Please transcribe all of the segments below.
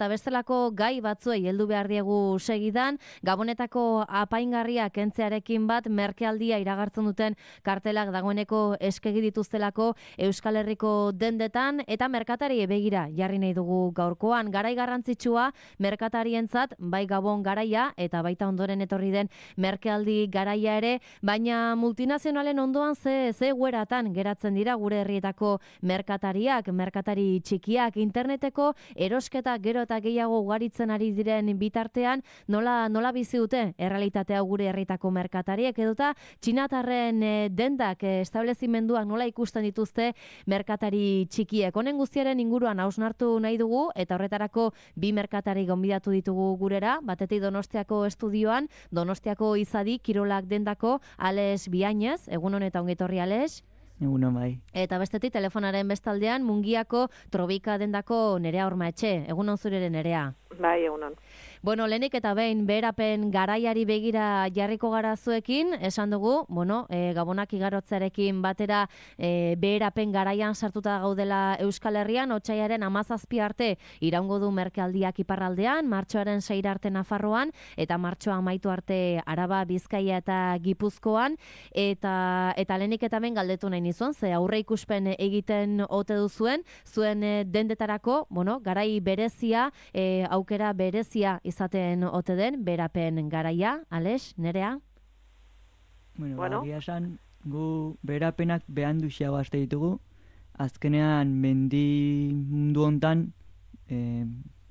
eta bestelako gai batzuei heldu behar diegu segidan, Gabonetako apaingarria kentzearekin bat merkealdia iragartzen duten kartelak dagoeneko eskegi dituztelako Euskal Herriko dendetan, eta merkatari begira jarri nahi dugu gaurkoan. Garai garrantzitsua merkatarientzat, bai Gabon garaia eta baita ondoren etorri den merkealdi garaia ere, baina multinazionalen ondoan ze gueratan geratzen dira gure herrietako merkatariak, merkatari txikiak, interneteko erosketa gero eta gehiago ugaritzen ari diren bitartean, nola bizi dute errealitatea gure herrietako merkatariek, edota txinatarren dendak, establezimenduak nola ikusten dituzte merkatari txikiek. Honen guztiaren inguruan hausnartu nahi dugu, eta horretarako bi merkatari gonbidatu ditugu gurera, batetik Donostiako estudioan, Donostiako Izadi Kirolak dendako Ales Biainez, egunon eta ongetorri Ales. Egunon bai. Eta bestetik telefonaren bestaldean Mungiako Trobika dendako Nerea Ormaetxe, egunon zureren Nerea. Bai, egunon. Bueno, lehenik eta behin beherapen garaiari begira jarriko gara zuekin, esan dugu, Gabonak igarotzearekin batera beherapen garaian sartuta gaudela Euskal Herrian, otsailaren 17 arte iraungo du merkealdiak iparraldean, martxoaren 6 arte Nafarroan, eta martxoa amaitu arte Araba, Bizkaia eta Gipuzkoan, eta lehenik eta behin galdetu nahi nizuen, ze aurre ikuspen egiten ote duzuen, zuen dendetarako, garai berezia, aukera berezia izaten ote den, berapen garaia, Ales, Nerea? Bueno. Esan, gu berapenak behan duxiago azte ditugu, azkenean mendi mundu hontan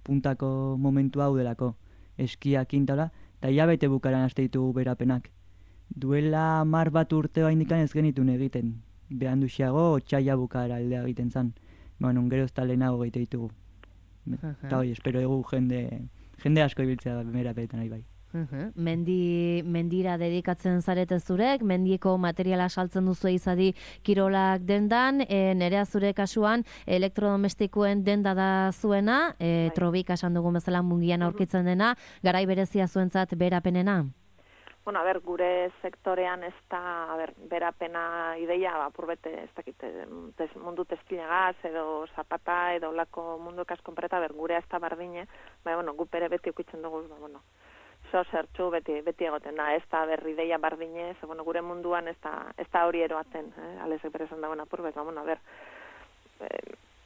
puntako momentu hau delako, eskiak intala, eta hilabete bukaran azte ditugu berapenak. Duela 10 bat urte baindikan ez genitun egiten, behan duxiago, otsaila bukara aldea egiten zan. Gero ez lehenago egite ditugu. Eta hoi, espero egu jende asko ibiltzea berapenetan nahi bai. Mendira dedikatzen zarete zurek, mendiko materiala saltzen duzu Izadi Kirolak dendan, Nerea zure kasuan elektrodomestikoen denda da zuena, Trobik esan dugun bezala Mungian aurkitzen dena, garai berezia zuentzat berapenena? Bueno, gure sektorean ez da, berapena ideia, apurbete, ez dakit, mundu testilagaz, edo zapata, edo olako mundu kaskonpreta, gure ez da bardine, gu pere beti ukitzen dugu, zertxu beti egoten da, ez da ideia bardine, gure munduan ez da hori eroaten, alezek berezan dagoen apurbet,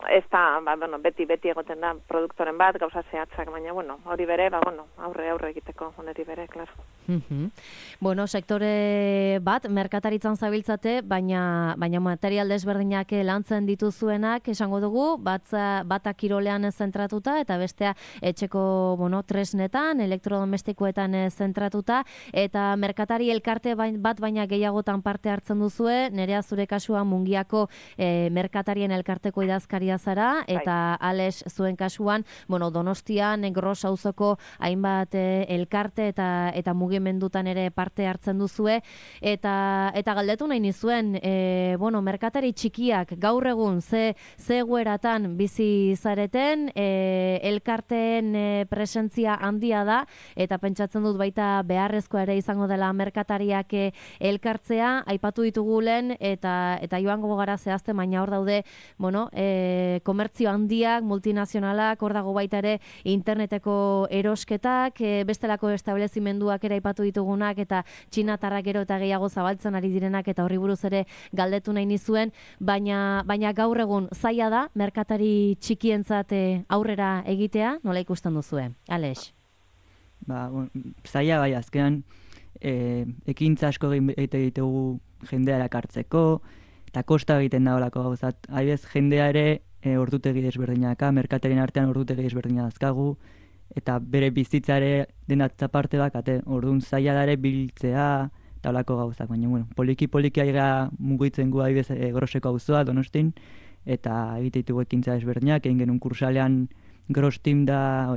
ez da, beti egoten da produktoren bat, gauza zehatzak, baina, hori bere, aurre egiteko, honeri bere, klaro. Sektore bat, merkataritzan zabiltzate, baina material desberdinak lantzen dituzuenak, esango dugu, bata kirolean zentratuta, eta bestea etxeko, tresnetan, elektrodomestikoetan zentratuta, eta merkatari elkarte bat baina gehiagotan parte hartzen duzue, Nerea zure kasua Mungiako merkatarien elkarteko idazkaria zara, eta Ales zuen kasuan, Donostian, Gros auzoko hainbat elkarte eta mugimendutan ere parte hartzen duzue, eta galdetu nahi nizuen, merkatari txikiak gaur egun ze egoeratan bizi zareten, elkarteen presentzia handia da, eta pentsatzen dut baita beharrezkoa ere izango dela merkatariak elkartzea, aipatu ditugu lehen, eta joango gara zehazte, baina hor daude, komertzio handiak, multinazionalak, hor dago baita ere interneteko erosketak, bestelako establezimenduak ere aipatu ditugunak, eta txinatarrak gero eta gehiago zabaltzen ari direnak, eta horri buruz ere galdetu nahi nizuen, baina gaur egun zaila da, merkatari txikientzat aurrera egitea, nola ikusten duzue? Ales? Zaila bai, azkenan ekintza asko egitegu jendea erakartzeko, eta kosta egiten da horako gauzat. Haibez, jendea ere ordutegi desberdinaka, merkatarien artean ordutegi desberdina dazkagu, eta bere bizitza ere denatza parte bakate, orduan zaila dare biltzea, eta horako gauzak. Baina, poliki aiga mugitzen gu haibez Groseko auzoa, Donostin, eta egiteitu ekintza desberdinak, egin genuen kursalean Gros Team da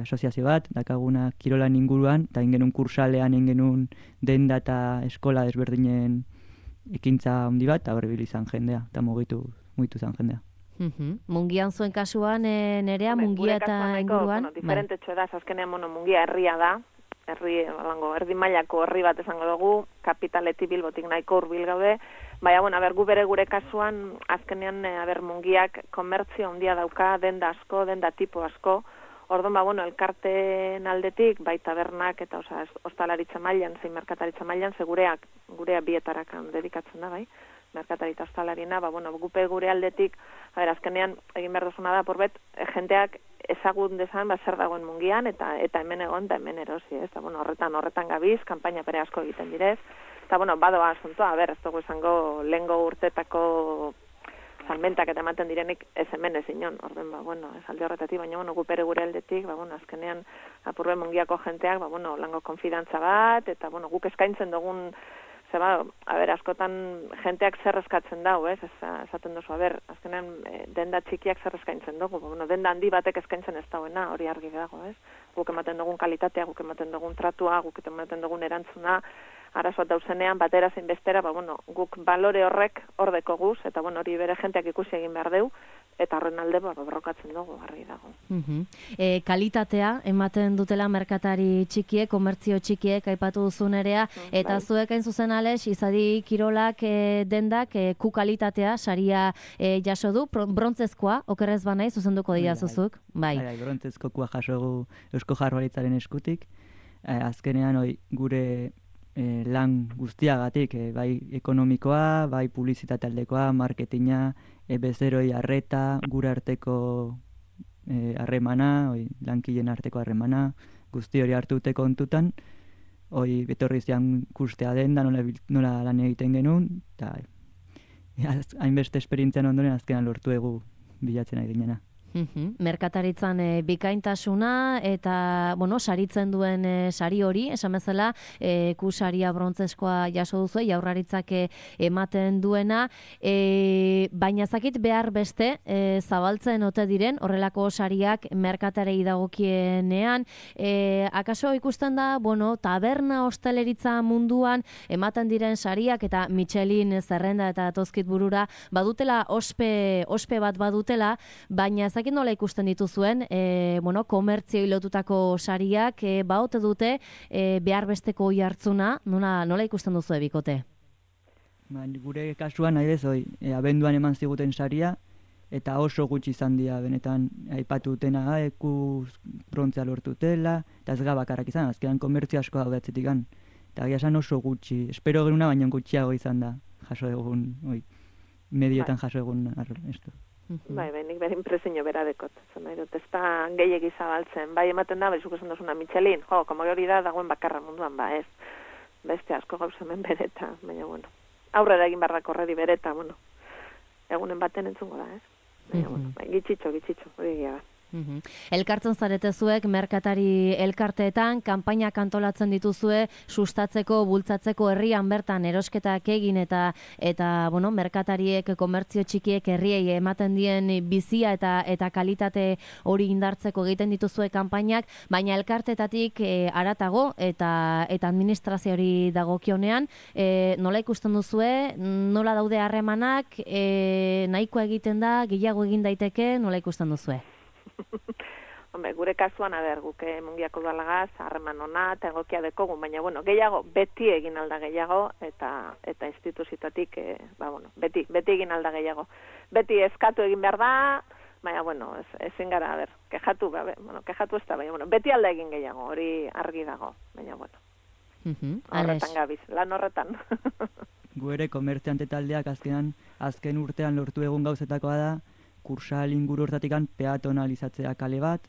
asoziazio bat, dakaguna kirolan inguruan, eta egin genuen kursalean, egin genuen denda eta eskola desberdinen ekintza handi bat, eta horrebil izan jendea, eta mugitu izan jendea. Mungian zuen kasuan, Nerea, Mungia eta inguruan? Diferente txoedaz, azkenean Mungia herria da, erdi mailako herri bat esango dugu, kapitaletik Bilbotik nahiko hurbil gaude, Baina, bueno, gu gure kasuan, azkenean, Mungiak komertzio handia dauka, denda asko, denda tipo asko, orduan, elkarteen aldetik, bai tabernak eta, ostalaritza mailan, zein merkataritza mailan, gurea bietarakan dedikatzen da, bai, merkataritza ostalarina, gupe gure aldetik, azkenean, egin behar duzuna da, porbet, jendeak ezagun dezan, zer dagoen Mungian, eta hemen egon, eta hemen erosi, ez, horretan gabiz, kanpaina pere asko egiten direz, eta, badoa asuntoa, ez dugu esango lehengo urtetako salmentak eta ematen direnik ez hemen ez inon, orduan, ez alde horretatik, baina, gupere gure aldetik, azkenean, apurbe Mungiako jenteak, lango konfidantza bat, eta, guk eskaintzen dugun, askotan jenteak zer eskatzen dau, ez, esaten duzu, azkenean, denda txikiak zer eskaintzen dugu, denda handi batek eskaintzen ez dauena, hori argi dago, ez, guk ematen dugun kalitatea, guk ematen dugun tratua, guk ematen dugun erantzuna, arazoat dauzenean, batera zein bestera, guk balore horrek ordeko guz, eta hori bere jenteak ikusi egin behar deu, eta horren alde borrokatzen dugu, argi dago. Kalitatea, ematen dutela merkatari txikiek, komertzio txikiek, aipatu duzun erea, eta zuek hain zuzen Alex, izadi kirolak dendak, ku kalitatea, saria jaso du, brontzezkoa, okerrez banai, zuzenduko dira zuzuk? Bai, brontzezko kua jaso Eusko Jaurlaritzaren eskutik, azkenean gure lan guztiagatik, bai ekonomikoa, bai publizitate aldekoa, marketinga, bezeroi arreta, gure arteko harremana, lankileen arteko harremana, guzti hori hartute kontutan, betorri zian kustea den, da nola lan egiten genuen, eta hainbeste esperientzian ondoren azkenan lortu egu bilatzen ari ginena. Merkataritzan bikaintasuna eta, saritzen duen sari hori, esan bezala, ku saria brontzeskoa jaso duzu, Jaurlaritzak ematen duena, baina zakit behar beste zabaltzen ote diren, horrelako sariak merkatarei dagokienean, akaso ikusten da, taberna hosteleritza munduan ematen diren sariak eta Michelin zerrenda eta tozkit burura badutela, ospe bat badutela, baina zakit nola ikusten dituzuen, komertzioi lotutako sariak, baote dute behar besteko oi hartzuna, nola ikusten duzu bikote? Gure kasuan, nahi bez, abenduan eman ziguten saria, eta oso gutxi izan dira, benetan, aipatu dutena, brontzea lortutela, eta ez gabakarrak izan, azkenan komertzio asko daude atzetikan. Eta esan oso gutxi, espero genuna, baina gutxiago izan da, jaso egun, medioetan jaso egun, esto. Bai, nik behin impresio bera dekot. Ez da gehiegi zabaltzen. Bai, ematen da, zuk esan duzuna Michelin. Komo hori da, dagoen bakarra munduan, ez. Beste asko gauz hemen bereta, baina, aurrera egin barrako horredi bereta, egunen baten entzungo da, ez. Baina, gitxitxo, hori gira da. Elkartzen zarete zuek merkatari elkarteetan, kanpainak antolatzen dituzue sustatzeko, bultzatzeko herrian bertan erosketak egin eta merkatariek, komertzio txikiek herriei ematen dien bizia eta kalitate hori indartzeko egiten dituzue kanpainak, baina elkartetatik haratago eta administrazio hori dagokionean, nola ikusten duzue, nola daude harremanak, nahikoa egiten da, gehiago egin daiteke, nola ikusten duzue? Gure kasuan, guk Mungiako udalagaz, harreman ona, eta egokia dekogun, baina, gehiago, beti egin alda gehiago, eta instituzioetatik, beti egin alda gehiago. Beti eskatu egin behar da, baina, ezin gara, kejatu ez da, baina, beti alda egin gehiago, hori argi dago, baina, horretan gabiz, lan horretan. Gu ere, komertziante taldeak azken urtean lortu egun gauzetakoa da, kursal inguru hortatikan peatonalizatzea kale bat,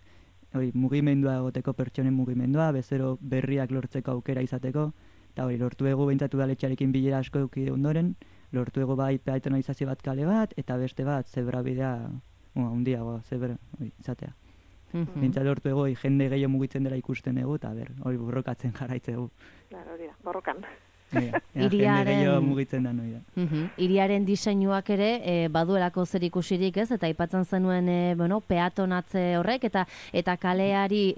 mugimendua egoteko pertsonen mugimendua, bezero berriak lortzeko aukera izateko, eta lortu egu behintzatu daletxarekin bilera asko eduki ondoren, lortu egu bai peatonalizazio bat kale bat, eta beste bat zebrabidea, handiagoa, izatea. Behintzat lortu egu jende gehiago mugitzen dela ikusten egu, eta hori borrokatzen jarraitzegu. Hori da, borrokan. Hiriaren diseinuak ere baduelako zer ikusirik, ez, eta aipatzen zenuen peatonatze horrek eta kaleari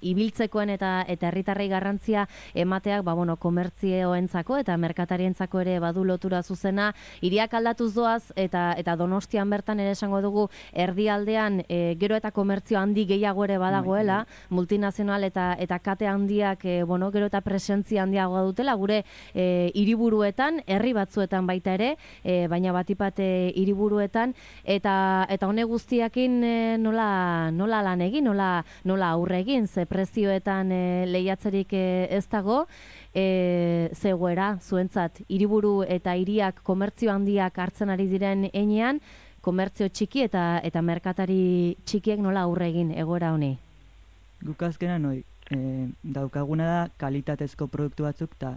ibiltzekoen eta herritarrei garrantzia emateak komertzioentzako eta merkatarientzako ere badu lotura zuzena. Hiriak aldatuz doaz eta Donostian bertan ere esango dugu erdialdean gero eta komertzio handi gehiago ere badagoela, multinazional eta kate handiak gero eta presentzia handiagoa dutela, gure hiriburuetan, herri batzuetan baita ere, baina batipat hiriburuetan, eta honek guztiakin nola lan egin, nola aurre egin, ze prezioetan lehiatzerik ez dago, zegoera, zuentzat, hiriburu eta hiriak komertzio handiak hartzen ari diren heinean, komertzio txiki eta merkatari txikiek nola aurre egin egoera honi? Guk azkenan daukaguna da kalitatezko produktu batzuk, eta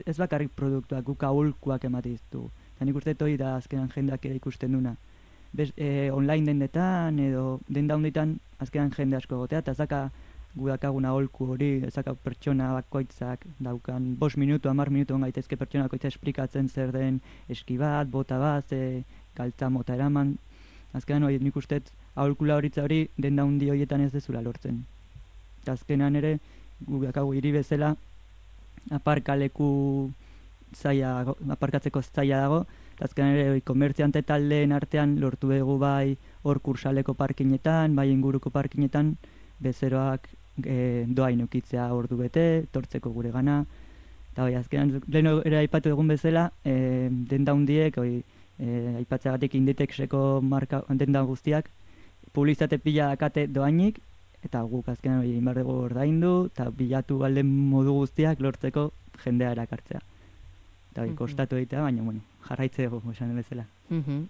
ez bakarrik produktuak, guk aholkuak ematen ditugu. Eta nik uste hori da azkenan jendeak ere ikusten duna. Online dendetan edo denda honditan azkenan jende asko egotea, eta zaka gu dakagun aholku hori, ezaka pertsona bakoitzak daukan 5 minutu, 10 minutu gaitezke pertsona bakoitza esplikatzen zer den eski bat, bota bat, galtza mota eraman. Azkenan hori nik uste aholkula horitza hori denda hundi horietan ez dezula lortzen. Eta azkenan ere, gu dakagu hiri bezala, aparkatzeko zaila dago, eta azkenan ere komertziante taldeen artean lortu dugu bai hor kursaleko parkinetan, bai inguruko parkinetan, bezeroak doain ukitzea ordu bete, tortzeko gure gana, eta bai, azkenan lehen ere aipatu egun bezala, denda hundiek, aipatzeagatik Inditexeko marka denda guztiak, publizitate pila dakate doainik, eta guk azkenan hori inbar dugu ordaindu, eta bilatu alden modu guztiak lortzeko jendea erakartzea. Eta hori, kostatu egitea, baina, bueno, jarraitze dugu, esan bezala.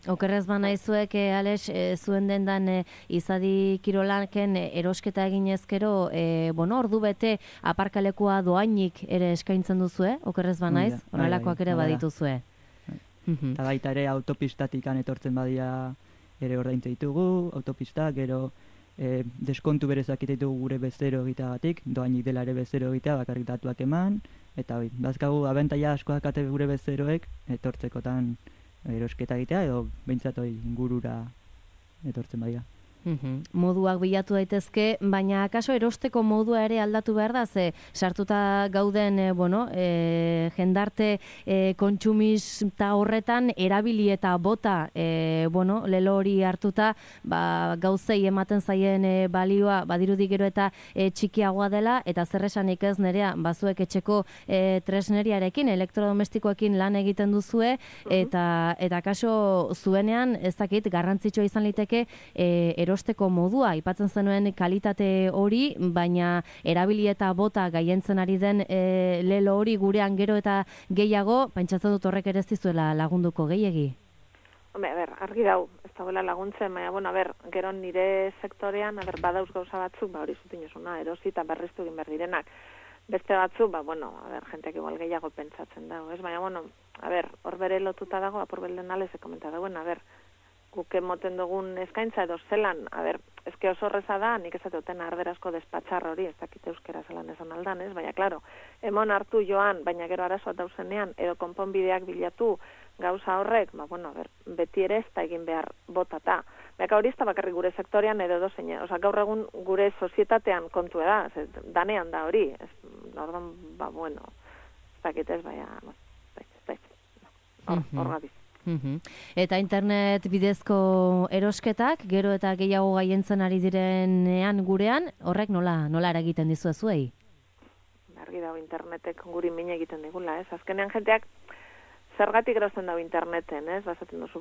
Okerrez banaizuek, Alex, zuen dendan izadi kirolaken erosketa egin ezkero, ordu bete aparkalekua doainik ere eskaintzen duzue, okerrez banaiz, horrelakoak ere badituzue. Eta baita ere autopistatikan etortzen badia ere ordaintze ditugu, autopistak, gero deskontu berezak ditugu gure bezero egiteagatik, doainik dela ere bezero egitea, bakarrik datuak eman, eta hori, bazkagu abentaia asko dakate gure bezeroek etortzekotan erosketa egitea, edo behintzat hori ingurura etortzen badia. Moduak bilatu daitezke, baina akaso erosteko modua ere aldatu behar da, ze sartuta gauden jendarte kontsumista horretan erabili eta bota lelo hori hartuta gauzei ematen zaien balioa badirudi gero eta txikiagoa dela, eta zer esanik ez nerea, bazuek etxeko tresneriarekin, elektrodomestikoekin lan egiten duzue, eta akaso zuenean ez dakit garrantzitsua izan liteke erosteko modua, aipatzen zenuen kalitate hori, baina erabili eta bota gaientzen ari den lelo hori gurean gero eta gehiago, pentsatzen dut horrek ere ez dizuela lagunduko gehiegi. Argi dau, ez dagoela laguntzen, baina, gero nire sektorean, badauz gauza batzuk, hori zutinozuna, erosi eta berriztu egin behar direnak. Beste batzuk, jenteak igual gehiago pentsatzen dago, ez? Baina, hor bere lotuta dago, apurbelden alez ekomenta dagoen, guk emoten dugun eskaintza edo zelan, ezke oso horreza da, nik ez duten arderazko despatxar hori, ez dakite euskera zelan esan aldan, ez? Baina, klaro, emon hartu joan, baina gero arazoa dauzenean, edo konponbideak bilatu gauza horrek, beti ere ez da egin behar botata. Baina hori ez da bakarrik gure sektorean edo dozein, gaur egun gure sozietatean kontu da, danean da hori, orduan, ez dakite ez, baina, hor gabiz. Eta internet bidezko erosketak, gero eta gehiago gaientzen ari direnean gurean, horrek nola eragiten dizue zuei? Argi dago internetek guri min egiten digula, ez? Azkenean jenteak zergatik erosten dago interneten, ez? Bazaten duzu,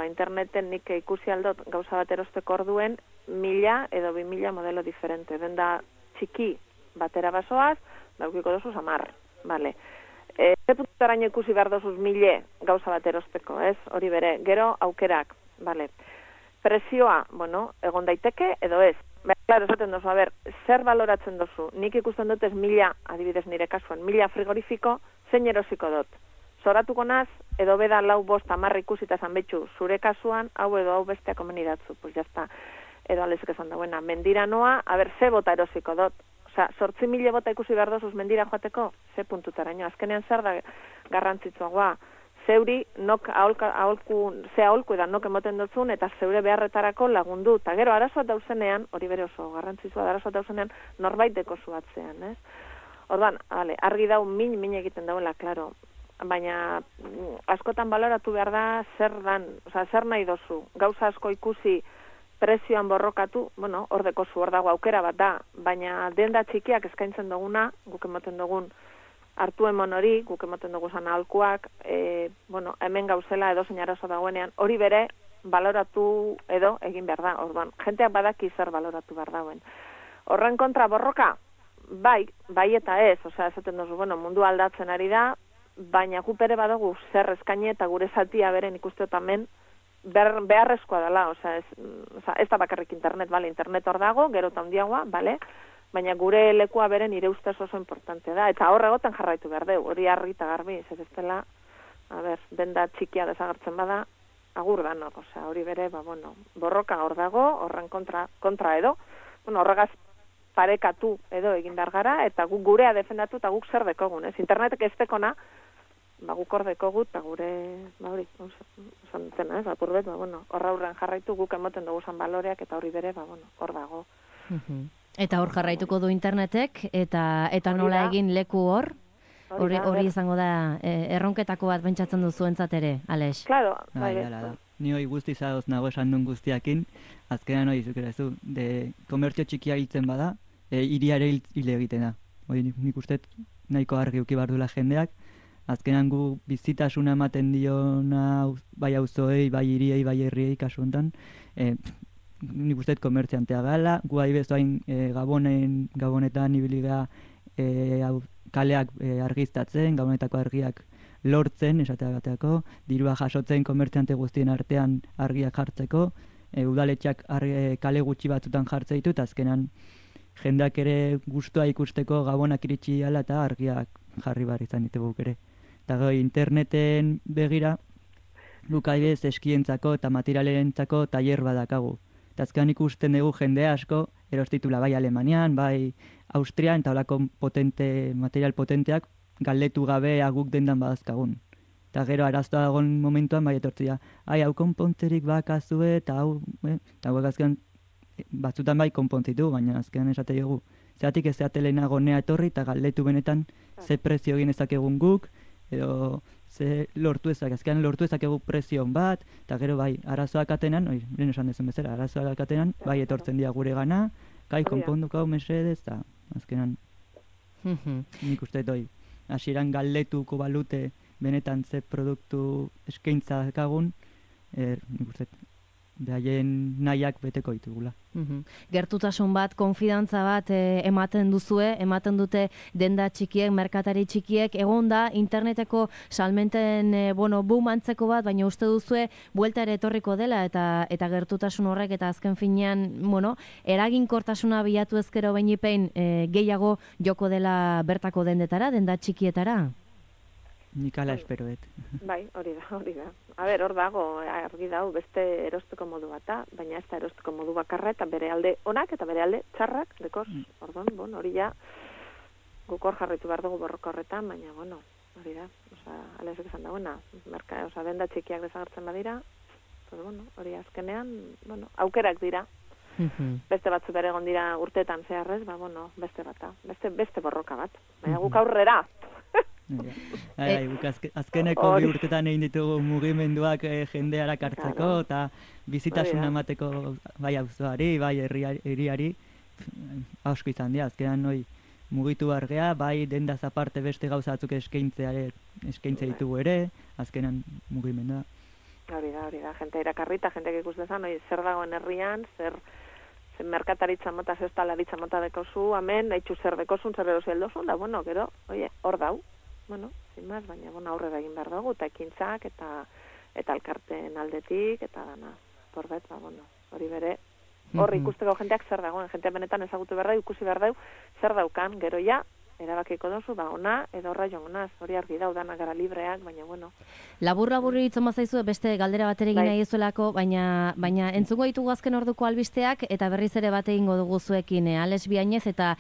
interneten nik ikusi aldot gauza bat erosteko orduen 1000 edo 2000 modelo diferente. Denda txiki batera basoaz, daukiko dozu 10, bale. Ze puntaraino ikusi behar dozuz 1000 gauza bat erosteko, ez? Hori bere, gero aukerak, bale. Prezioa, egon daiteke edo ez. Claro, esaten dozu, zer baloratzen dozu? Nik ikusten dut ez 1000, adibidez nire kasuan, 1000 frigorifiko, zein erosiko dut? Zoratuko naz, edo beda 4, 5, 10 ikusita zan betxu, zure kasuan, hau edo hau besteak komeni datzu, pues jazta, edo alezik esan dagoena, mendira noa, ze bota erosiko dut? 8.000 bota ikusi behar dozuz mendira joateko, ze puntutaraino. Azkenean zer da garrantzitsua, zeuri nok ze aholku edan nok emoten dutzun, eta zeure beharretarako lagundu. Eta gero, arazoat dauzenean, hori bere oso garrantzitsua, arazoat dauzenean, norbait deko zuatzean, ez? Orduan, argi dau min egiten dauela, klaro. Baina, askotan baloratu behar da, zer nahi dozu. Gauza asko ikusi, prezioan borrokatu, hor dekozu, hor dago aukera bat da, baina denda txikiak eskaintzen duguna, guk ematen dugun hartu emon hori, guk emoten dugu zan ahalkuak, bueno, hemen gauzela edo zein arazo dagoenean, hori bere baloratu edo egin behar da. Orduan, jenteak badaki zer baloratu behar dauen. Horren kontra borroka, bai eta ez, osea, esaten duzu, bueno, mundu aldatzen ari da, baina gu bere badugu zer eskaini eta gure zatia beren ikusteotamen beharrezkoa dela, osea, ez da bakarrik internet, bale, internet hor dago, gero eta handiagoa, bale, baina gure lekua beren nire ustez oso importante da, eta hor egoten jarraitu behar deu, hori argi eta garbi, ez dela, denda txikia desagertzen bada, agur da, no, osea, hori bere, bueno, borroka hor dago, horren kontra edo, bueno, horregaz parekatu edo egin behar gara, eta guk gurea defendatu eta guk zer dekogun, ez? Internetek ez dekona, guk hor dekogu, eta gure, hori, osan dutena, ez, apurbet, bueno, horra hurren jarraitu guk emoten dugu zan baloreak, eta hori bere, bueno, hor dago. Eta hor jarraituko du internetek, eta nola egin leku hor? Hori izango da, erronketako bat pentsatzen duzu entzat ere, Alex? Claro, bai. Ni hoi guzti zagoz nago esan duen guztiakin, azkenan hori zukerazu, komertzio txikia hiltzen bada, hiriare hil egiten da. Hori nik uste nahiko argi uki behar duela jendeak, azkenan gu bizitasuna ematen diona bai auzoei, bai hiriei, bai herriei kasu honetan, nik uste komertziantea gala, gu bezoain gabonetan ibiliga kaleak argiztatzen, gabonetako argiak lortzen, esateagateako, dirua jasotzen komertziante guztien artean argiak jartzeko, udaletxak kale gutxi batzutan jartze ditu, eta azkenan jendeak ere gustua ikusteko gabonak iritsi ala eta argiak jarri behar izan ditugu ere. Eta goi, interneten begira, guk adibidez eskientzako eta materialentzako tailer badakagu. Eta azkenan ikusten dugu jende asko, erostitula bai Alemanian, bai Austrian, eta holako material potenteak, galdetu gabe aguk dendan badazkagun. Eta gero arazoa dagoen momentuan bai etortzia, hau konpontzerik bakazue, eta hau, eta hauek azkenan batzutan bai konpontzitu, baina azkenan esate dugu. Zeratik ez zeatelenago nea etorri, eta galdetu benetan ze prezio egin ezakegun guk, edo ze lortu azkenan lortu ezakegu prezion bat, eta gero bai, arazoak atenan, lehen esan dezen bezala, arazoak atenan, bai etortzen dira gure gana, kai konponduko hau mesedez, eta azkenan nik uste doi. Hasieran galdetuko balute benetan ze produktu eskaintza dakagun, nik uste behaien nahiak beteko ditugula. Gertutasun bat, konfidantza bat ematen duzue, ematen dute denda txikiek, merkatari txikiek, egon da interneteko salmenten boom antzeko bat, baina uste duzue buelta ere etorriko dela eta gertutasun horrek eta azken finean, eraginkortasuna bilatu ezkero beinipein gehiago joko dela bertako dendetara, denda txikietara? Nik ala esperoet. Bai, hori da. A ber, hor dago, argi dau, beste erosteko modu bata, baina ez da erosteko modu bakarra, eta bere alde onak eta bere alde txarrak, dekoz. Orduan, hori ja, guk hor jarritu behar dugu borroka horretan, baina, hori da. Alezek esan dagoena, denda txikiak desagertzen badira, hori azkenean, aukerak dira. Beste batzu bere egon dira urteetan zeharrez, beste bata, beste borroka bat. Baina guk aurrera. Azkeneko bi urtetan egin ditugu mugimenduak jendearak hartzeko eta bizitasuna emateko bai auzoari, bai herriari asko izan dira. Azkenan mugitu argea, bai dendaz aparte beste gauzatzuk eskaintze ditugu ere, azkenan mugimendua. Hori da, jente irakarri eta jenteak ikus dezan, zer dagoen herrian, zer merkataritza mota, zer talaritza mota dekozu, amen, haitxu zer dekozun, zer erosi eldozun, da, gero, hor dau. Sin más, baina aurrera egin behar dugu, eta ekintzak, eta elkarteen aldetik, eta dana, porbet, hori bere, hor ikusteko jenteak zer dagoen, jentea benetan ezagutu behar da, ikusi behar dau, zer daukan, gero ja, erabakiko dozu, ona, edo horra jongonaz, hori argi dau, dana gara libreak, baina, Labur hitzon bazaizu, beste galdera bat ere egin nahi ezuelako, baina entzungo ditugu azken orduko albisteak, eta berriz ere bat egingo dugu zuekin, Alex Biainez eta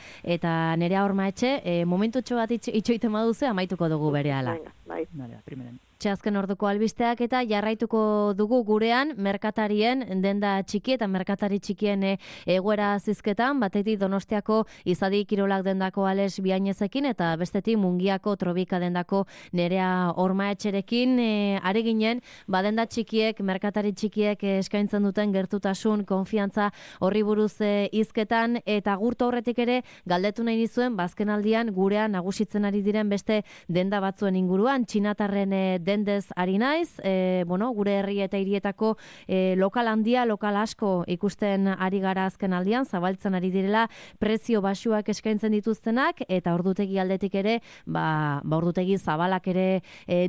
Nerea Hormaetxe, momentutxo bat itxoiten baduzu, amaituko dugu berehala. Bai. Primeran. Hortxe azken orduko albisteak eta jarraituko dugu gurean merkatarien denda txiki eta merkatari txikien egoera zizketan, batetik Donostiako Izadi Kirolak dendako Ales Biainezekin eta bestetik Mungiako Trobika dendako Nerea Ormaetxerekin ari ginen, denda txikiek, merkatari txikiek eskaintzen duten gertutasun, konfiantza horri buruz hizketan eta gurto horretik ere galdetu nahi nizuen bazkenaldian gurean nagusitzen ari diren beste denda batzuen inguruan, txinatarren dendez ari naiz, gure herri eta hirietako lokal handia, lokal asko ikusten ari gara azken aldian, zabaltzen ari direla prezio baxuak eskaintzen dituztenak eta ordutegi aldetik ere, ordutegi zabalak ere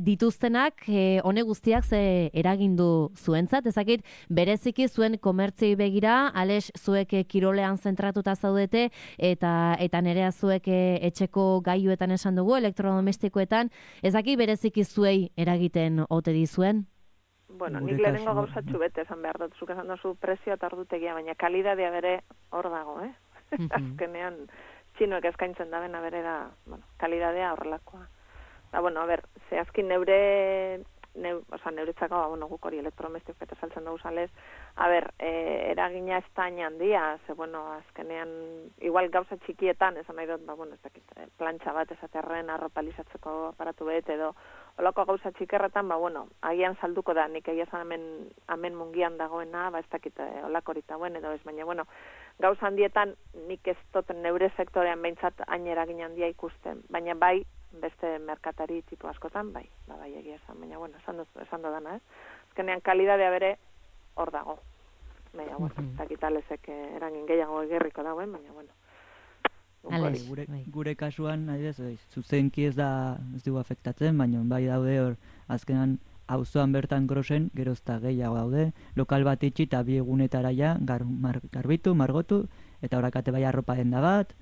dituztenak, hone guztiak ze eragindu zuentzat, ezakit bereziki zuen komertzioi begira, Ales zuek kirolean zentratuta zaudete eta Nerea zuek etxeko gailuetan esan dugu, elektrodomestikoetan, ezakit bereziki zuei eragiten ote dizuen? Bueno, nik lehenengo gauzatxu bete esan behar dut, zuk esan duzu prezio eta ordutegia, baina kalidadea bere hor dago, Azkenean, txinoek eskaintzen da bena bere da, kalidadea horrelakoa. Zehazkin neuretzako, guk hori elektrodomestiko eta saltzen dugu salez, eragina ez da handia, azkenean, igual gauza txikietan, esan nahi dut, plantxa bat esaterren, arropalizatzeko aparatu bet, edo olako gauza txikerretan, agian salduko da, nik egia zan hemen mungian dagoena, ez dakit olakorita buen, edo ez, baina, gauza handietan, nik ez dut neure sektorean behintzat hain eragin handia ikusten, baina bai, beste merkatari tipu askotan, bai egia esan, baina, esan dodana, azkenean kalidadea bere hor dago. Baina, takitalezek eragin gehiago egerriko dagoen, baina, Gure kasuan, zuzenki ez dugu afektatzen, baina bai daude hor, azkenan, auzoan bertan grosen, gerozta gehiago daude, lokal bat itxi eta bi egunetara ja, garbitu, margotu, eta horakate bai arropa denda bat,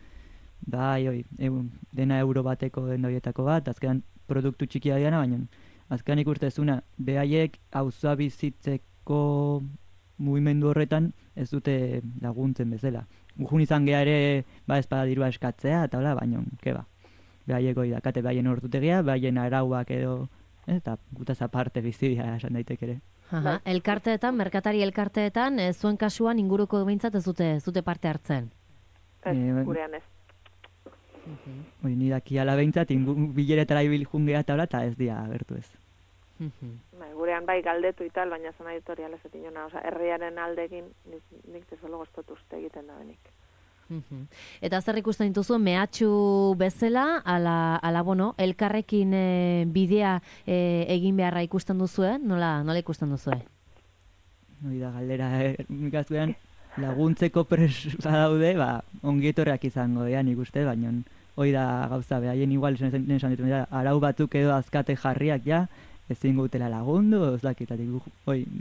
dena euro bateko denda horietako bat, azkenan produktu txikia diana, baina azkenan ikustezuna, behaiek auzoa bizitzeko mugimendu horretan ez dute laguntzen bezala. Gujun izan geha ere, ezpada dirua eskatzea, eta hola, baina, keba. Behaiek hori dakate behaien ordutegia, behaien arauak edo, eta gutaz aparte bizidia esan daitek ere. Elkarteetan, merkatari elkarteetan, zuen kasuan inguruko behintzat ez dute parte hartzen? Gurean ez. Ni daki ala behintzat, bileretara ibil jungea eta ez dia agertu ez. Gurean bai galdetu ital, baina zan editorial ez etinona, herriaren aldegin nik tezolo goztotu uste egiten da benik. Eta zer ikusten dituzu, mehatxu bezala, elkarrekin bidea egin beharra ikusten duzue, nola ikusten duzue? Hori da, galdera, ikastuean, laguntzeko presa daude, ongietorreak izango dean ikuste, baina hori da gauza, haien igual esan ditu, arau batzuk edo azkate jarriak ja, ezin gutela lagundu, ez dakitatik,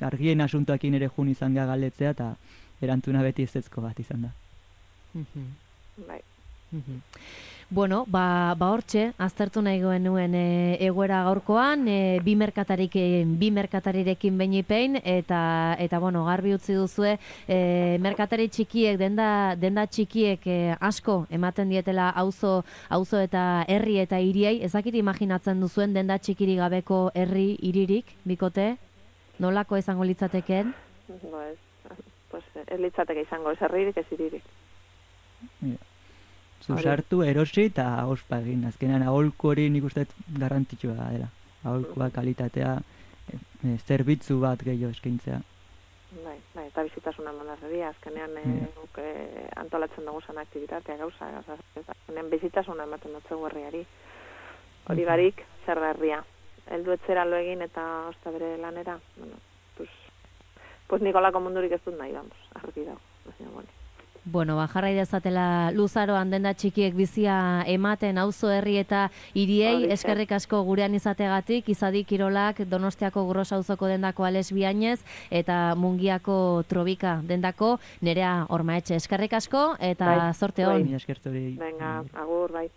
argien asuntoakin ere jun izan geha galdetzea, eta erantzuna beti ezetzko bat izan da. Bai. Bueno, hortxe, aztertu nahi nuen egoera gaurkoan, bi merkatarirekin beinipein, eta garbi utzi duzue, merkatari txikiek, denda txikiek asko ematen dietela auzo eta herri eta hiriei, ezakit imaginatzen duzuen denda txikiri gabeko herri hiririk, bikote? Nolako izango litzateken? Ez litzateke izango, ez herririk, ez hiririk. Zuzartu, erosi eta ospa egin. Azkenean, aholku hori nik uste garrantzitsua dela. Aholkua, kalitatea, zerbitzu bat gehiago eskaintzea. Bai, eta bizitasuna mandarreria. Azkenean, antolatzen dugu zan aktibitatea gauza. Azkenean, bizitasuna ematen dutzu herriari. Hori barik, zer da herria. Heldu etzera lo egin eta osta bere lanera. Pues Nikolako mundurik ez dut nahi, argi dago. Jarrai dezatela luzaroan denda txikiek bizia ematen auzo herri eta hiriei, eskerrik asko gurean izategatik, Izadi Kirolak, Donostiako Gros auzoko dendako Ales Biainez, eta Mungiako Trobika dendako Nerea Ormaetxe. Eskerrik asko, eta zorte hon. Venga, agur, bai.